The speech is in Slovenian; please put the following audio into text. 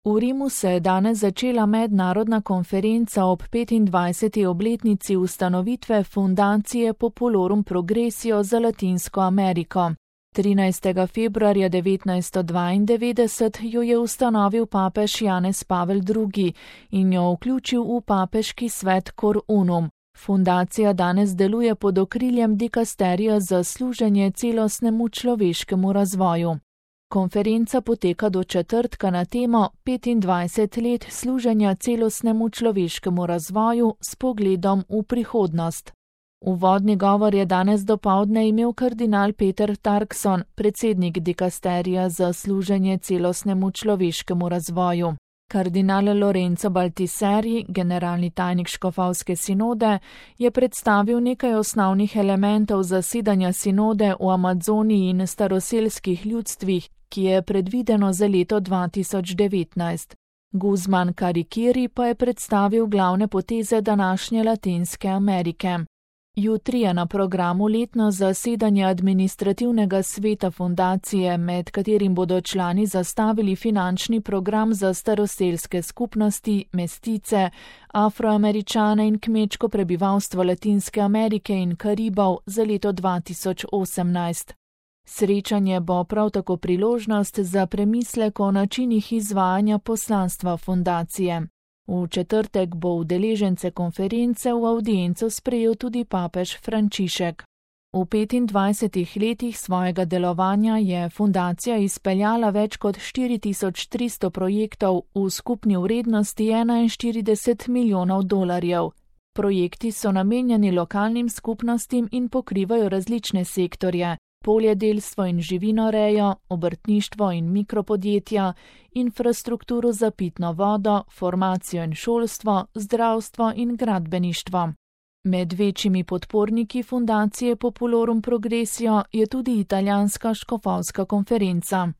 V Rimu se je danes začela mednarodna konferenca ob 25. obletnici ustanovitve Fundacije Populorum Progressio za Latinsko Ameriko. 13. februarja 1992 jo je ustanovil papež Janez Pavel II. In jo vključil v papeški svet Cor Unum. Fundacija danes deluje pod okriljem dikasterija za služenje celostnemu človeškemu razvoju. Konferenca poteka do četrtka na temo 25 let služenja celostnemu človeškemu razvoju s pogledom v prihodnost. Uvodni govor je danes dopoldne imel kardinal Peter Turkson, predsednik dikasterija za služenje celostnemu človeškemu razvoju. Kardinal Lorenzo Baltiseri, generalni tajnik škofovske sinode, je predstavil nekaj osnovnih elementov zasedanja sinode v Amazoniji in staroselskih ljudstvih, ki je predvideno za leto 2019. Guzman Karikiri pa je predstavil glavne poteze današnje Latinske Amerike. Jutri je na programu letno zasedanje administrativnega sveta fundacije, med katerim bodo člani zastavili finančni program za staroselske skupnosti, mestice, afroameričane in kmečko prebivalstvo Latinske Amerike in Karibov za leto 2018. Srečanje bo prav tako priložnost za premislek o načinih izvajanja poslanstva fundacije. V četrtek bo udeležence konference v avdienco sprejel tudi papež Frančišek. V 25 letih svojega delovanja je fundacija izpeljala več kot 4300 projektov v skupni vrednosti 41 milijonov dolarjev. Projekti so namenjeni lokalnim skupnostim in pokrivajo različne sektorje: poljedelstvo in živinorejo, obrtništvo in mikropodjetja, infrastrukturo za pitno vodo, formacijo in šolstvo, zdravstvo in gradbeništvo. Med večjimi podporniki Fundacije Populorum Progressio je tudi italijanska škofovska konferenca.